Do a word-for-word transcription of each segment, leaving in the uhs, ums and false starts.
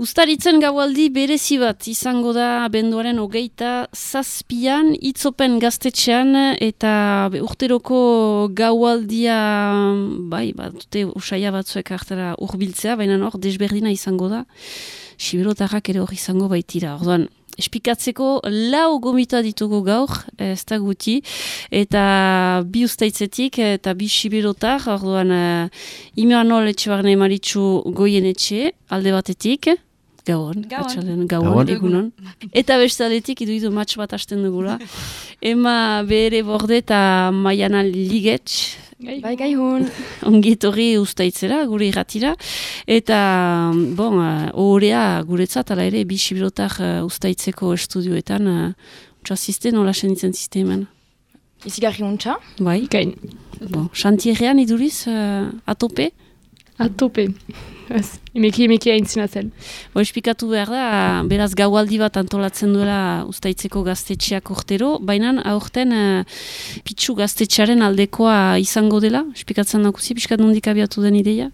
Uztaritzen gaualdi berezi bat izango da abenduaren hogeita zazpian, itzopen gaztetxean eta urteroko gaualdia, bai, bat dute usaia batzuek hartara urbiltzea, baina hor desberdina izango da, siberotarrak ere hor izango baitira. Orduan, espikatzeko lau gomita ditugu gaur, ez da guti, eta bi ustaitzetik eta bi siberotar, orduan, uh, Imanol Etxebarne Maritxu Goienetxe, alde batetik, Gauan, Gauan, Gauan, egunon. Eta bestaletik iduidu matx bat hasten dugula. Ema bere borde eta Maiana Ligetx. Bai, gaihun. Ongitorri ustaitzera, gure irratira. Eta, bon, ohorea guretzat, ala ere, bi sibirotar uh, ustaitzeko estudioetan, uh, untxasizte, nola senitzen sisteman? Izigarri untxa? Bai. Gain. Bon, xantierrean iduriz, uh, atope? Atope. Ez, emeki emeki aintzina zen. Bo, espikatu behar da, beraz gaualdi bat antolatzen duela ustaitzeko gaztetxeak urtero, baina aurten uh, pitxu gaztetxearen aldekoa izango dela, espikatzen dakuzi, piskat nondik abiatu den ideia?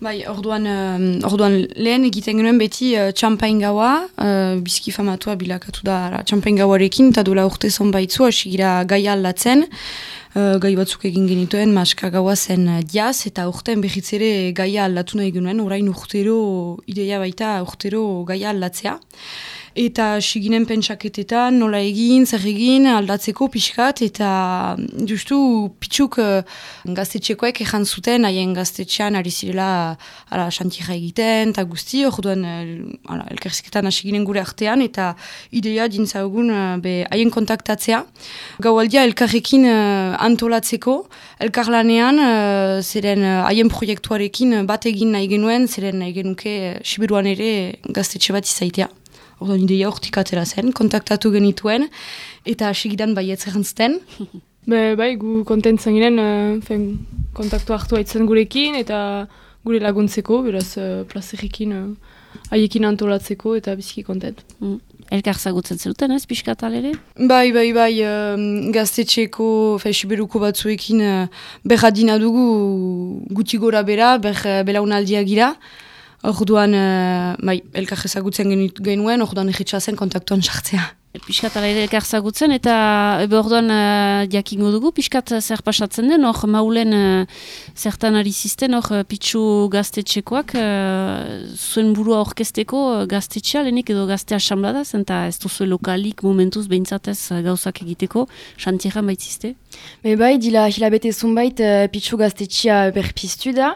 Bai, orduan, uh, orduan lehen egiten genuen beti uh, txampain gaua, uh, bizki famatua bilakatu da txampain gauarekin, eta dola urte zonbaitzu, hasi gira gaia aldatzen, Uh, gai batzuk egin genituen, maska gaua zen uh, diaz, eta urten berriz ere gaia aldatu nahi genuen, orain urtero, ideia baita urtero gaia aldatzea. Eta siginen pentsaketetan, nola egin, zer egin, aldatzeko pixkat, eta justu pitxuk uh, gaztetxekoek ejan zuten, haien gaztetxean ari zirela ala, xantierra egiten, eta guzti, orduan uh, elkerziketan hasi ginen gure artean, eta ideia dintzaugun uh, be, haien kontaktatzea. Gaualdia elkarrekin uh, antolatzeko, elkarlanean, uh, zeren haien uh, proiektuarekin bat egin nahi genuen, zeren nahi genuke uh, Siberuan ere gaztetxe bat izaitea. Orduan ideia hortik atera zen, kontaktatu genituen, eta hasigidan baietz errantzten. Be, bai, gu kontentzen ginen, uh, fen, kontaktu hartu haitzen gurekin, eta gure laguntzeko, beraz, uh, plazerikin uh, haiekin antolatzeko, eta biziki kontent. Mm. Elkar zagutzen zeluten, ez, pixkatal ere? Bai, bai, bai, um, gaztetxeko, fe, siberuko batzuekin uh, berradina dugu guti gora bera, ber belaunaldia gira. Orduan, uh, bai, elkar ezagutzen genuen, orduan egitxazen kontaktuan sartzea. Piskat ala ere elkar zagutzen, eta ebe orduan uh, jakingo dugu, piskat zer pasatzen den, hor maulen uh, zertan ari zisten, hor uh, pitxu gaztetxekoak, uh, zuen burua orkesteko uh, gaztetxea, lehenik edo gazte asambladaz, eta ez duzu lokalik momentuz behintzatez uh, gauzak egiteko, xantierran baitzizte? Me bai, dila hilabete zunbait uh, pitxu gaztetxea berpiztu da,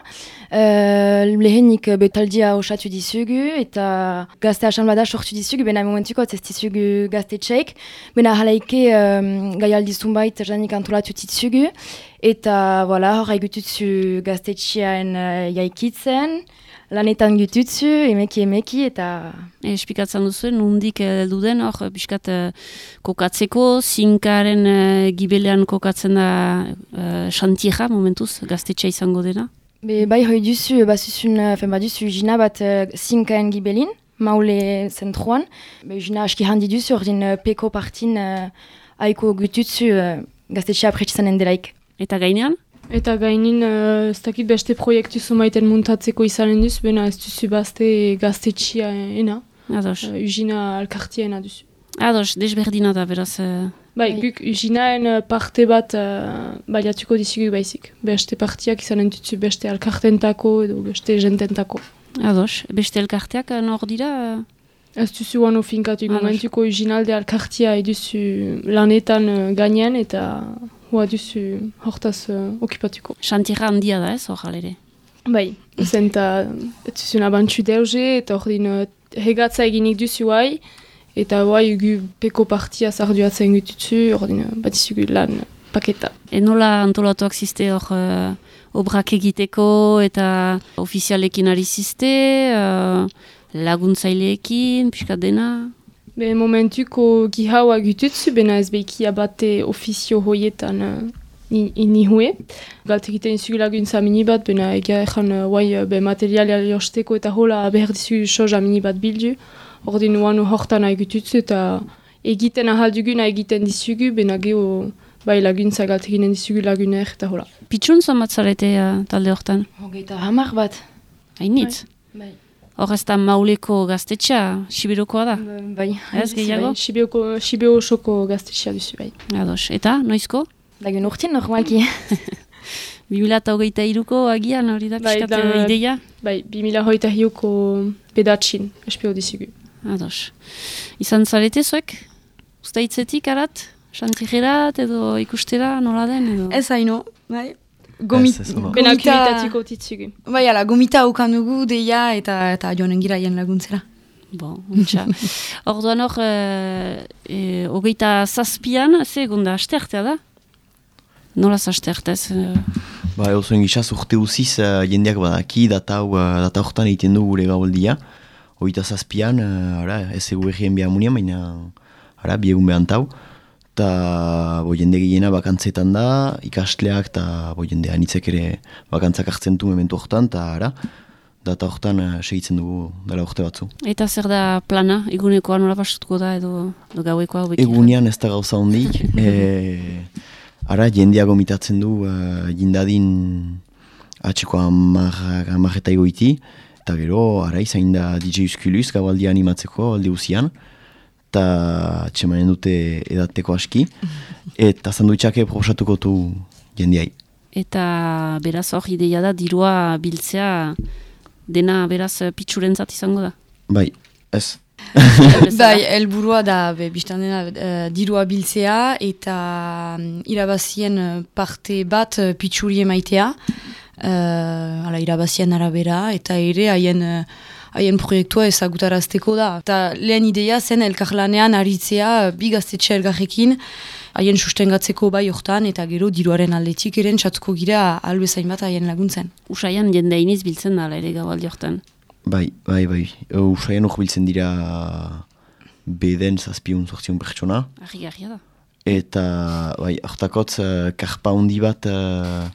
uh, lehenik betaldia osatu dizugu, eta gazte asamblada sortu dizugu, bena momentuko ez dizugu gaztetxeik, bena halaike um, gaialdi zunbait janik antolatu ditzugu, eta voilà, hor haigututzu gaztetxean uh, jaikitzen, lanetan gututzu, emeki emeki, eta... E, espikatzen duzu, nundik heldu den, hor, biskat uh, kokatzeko, zinkaren uh, gibelean kokatzen da uh, xantierra, momentuz, gaztetxea izango dena? Be, bai, hoi duzu, bazuzun, fen baduzu, jina bat uh, zinkaen gibelin, maule zentruan. Be, jina aski handi duzu, ordin uh, peko partin uh, haiko gututzu uh, gaztetxea pretxizanen delaik. Eta gainean? Eta gainin, uh, ez dakit beste proiektu zumaiten muntatzeko izanen duzu, bena ez duzu bazte gaztetxia ena. Ados. Uh, Ugina alkartiena duzu. Ados, desberdina da, beraz... Uh... Bai, guk Uginaen parte bat uh, baliatuko dizugu baizik. Beste partiak izanen duzu beste alkartentako edo beste jententako. Ados, beste elkarteak nor dira? Ez duzu guano finkatu, momentuko Uginalde alkartia eduzu lanetan uh, gainean eta... Hoa duzu hortaz uh, okipatuko. Xantierra handia da ez, hor jalere? Bai, zen eta etuzun abantxu deuze, eta hor din uh, hegatza eginik duzu hai, eta hai gu peko partia zarduatzen gututzu, hor din uh, batizugu lan uh, paketa. E nola antolatuak ziste hor uh, obrak egiteko eta ofizialekin ari ziste, uh, laguntzaileekin, pixka dena... Be momentuko gihaua gututzu, bena ez behiki abate ofizio hoietan uh, ni hue. Galt egiten izugu laguntza mini bat, bena egia ezan uh, be materialia josteko eta hola behar dizugu soja mini bat bildu. Ordin uanu hortan nahi gututzu eta egiten ahaldugun egiten dizugu, bena geho bai laguntza galt eginen dizugu laguner eta hola. Pitxun zamatzarete uh, talde hortan? Hogeita hamar bat. Hainitz? Bai. Hor ez da Mauleko gaztetxea, Sibirokoa da? Bai. Ez gehiago? Bai, Sibio osoko gaztetxea duzu, bai. Ados, eta, noizko? Dagen urtien, normalki. bi mila hogeita hiruko agian hori da Bai, pixkat da- ideia? Bai, bi mila hogeita hiuko pedatxin, espio dizugu. Ados. Izan zarete zuek? Usta hitzetik arat? Xantigerat edo ikustera nola den edo? Ez haino, bai. Gomit, Ez, ez, no. Benak gomita, unitatiko titzugu. bai, ala, gomita ukan dugu, deia, eta, eta joanen gira jen laguntzera. Bon, untxa. Orduan hor, e, e, hogeita zazpian, ze egon da, asteartea da? Nola asteartez? E, Ba, osoen gizaz urte uziz, uh, jendeak badaki, data hau, uh, data hortan egiten du gure gaboldia. Hogeita zazpian, uh, ara, ez egu egien behar munian, baina, ara, biegun behar antau. Ta, bo, jende gehiena bakantzetan da, ikastleak, eta, bo, jende anitzek ere bakantzak hartzen du mementu hortan, eta, ara, data hortan uh, segitzen dugu dela urte batzu. eta zer da plana? Egunekoa nola pasutuko da edo, edo gauekoa? hobeki? Egunean ez da gauza hondik, e, ara, jendea gomitatzen du uh, jindadin atxeko amarrak eta egoiti, eta gero, ara, izain da D J Uskuluz gabaldia animatzeko alde uzian, eta atxemanen dute edateko aski, eta sanduitxake proposatuko du jendeai. Eta beraz hor ideia da dirua biltzea dena beraz pitxurentzat izango da. Bai, ez. Bai, helburua da, be, biztan dena, uh, dirua biltzea, eta um, irabazien uh, parte bat uh, pitxuri emaitea, uh, ala, irabazien arabera, eta ere haien uh, haien proiektua ezagutarazteko da. Eta lehen ideia zen elkarlanean aritzea bi gaztetxe elgarrekin, haien sustengatzeko bai hortan, eta gero diruaren aldetik eren txatuko gira albezain bat haien laguntzen. Usaian jende iniz biltzen da ere gaualdi hortan. Bai, bai, bai. Usaian hor biltzen dira beden zazpiun zortziun pertsona. Argi-argia da. Eta, bai, hortakotz, uh, karpa handi bat, uh,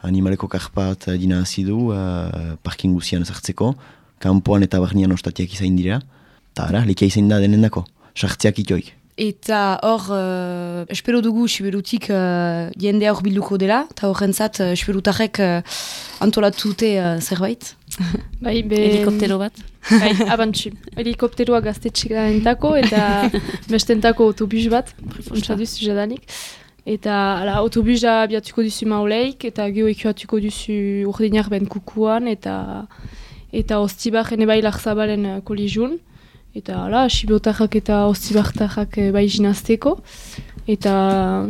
animaleko karpa bat uh, dina hazi du, uh, parking guzian sartzeko, kanpoan eta barnean ostatiak izain dira, eta ara, lekia izain da denendako, sartziak itoik. Eta hor, uh, espero dugu Siberutik uh, jendea hor bilduko dela, eta horrentzat uh, Siberutarrek uh, antolatute uh, zerbait. Bai, be... Helikoptero bat. Bai, abantxu. Helikopteroa gaztetxeka entako eta bestentako autobus bat, ontsa duzu jadanik. Eta ala, autobusa abiatuko duzu Mauleik, eta geho ekuatuko duzu urdinak ben kukuan, eta eta ostibaren bai larzabalen uh, kolijun. Eta ala, Sibiotarrak eta ostibartarrak uh, bai jinazteko. Eta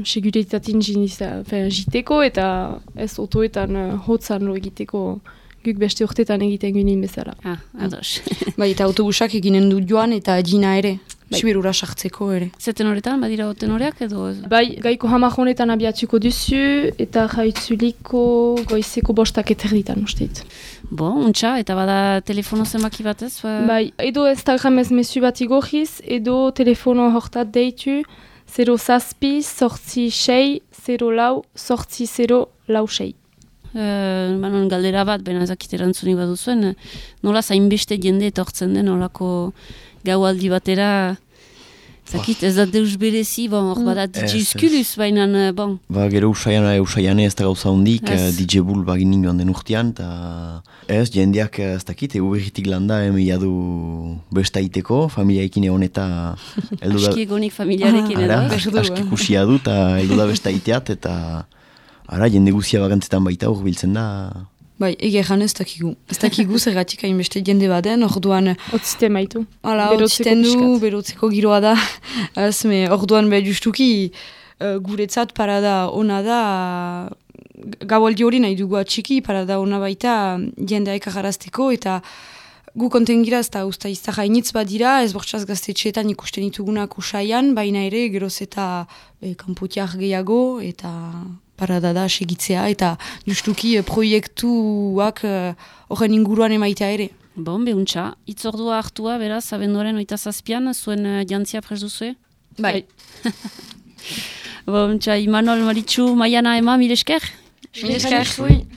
seguritatin jiteko, eta ez otoetan uh, hotzan lo egiteko guk beste urtetan egiten ginen bezala. Ah, ados. Bai, eta autobusak eginen du joan eta dina ere, Bai. Siberura sartzeko ere. Zeten horretan, badira tenoreak edo? Bai, gaiko hamar honetan abiatuko duzu, eta jaitzuliko goizeko bostak eterditan usteit. Bo, untxa, eta bada telefono zenbaki batez? Ba... Bai, edo Instagramez mezu bat igorriz, edo telefono hortat deitu, zero zazpi, sortzi sei, zero lau, sortzi zero lau sei. Uh, banon galdera bat, bena ezakit erantzunik baduzuen, nola zainbeste jende etortzen den, nolako gaualdi batera, zakit ez da deus berezi, bon, hor bada D J Ez, Uskuluz, baina, bon. Ba, gero usaian, usaian ez da gauza hondik, Ez. uh, D J Bull bagin joan den urtean, eta ez, jendeak ez dakit, egu berritik landa, emi jadu bestaiteko, familiaekin egon eta heldu da, Aski egonik familiarekin ara, edo. Beso du, aski eh. kusia du, eta heldu da bestaiteat, eta ara, jende guzia bakantzetan baita hor biltzen da. Bai, ege jan ez dakigu. Ez dakigu zergatik hainbeste jende baden, orduan Otzite maitu. hala Berotzeko otziten du, pixkat. berotzeko giroa da. Ez, me, orduan be justuki uh, guretzat parada ona da, gaualdi hori nahi dugu atxiki, parada ona baita jendea ekajarazteko, eta gu konten gira ez da usta izta hainitz badira, ez bortxaz gaztetxeetan ikusten ditugunak usaian, baina ere geroz eta e, kanpotiak gehiago, eta parada da segitzea, eta justuki e, proiektuak horren inguruan emaitea ere. Bon, behuntza, itzordua hartua, beraz, abenduaren oita zazpian, zuen uh, jantzia prest duzue? Bai. Bon, txa, Imanol, Maritxu, Maiana, Ema, mil esker? Mil esker.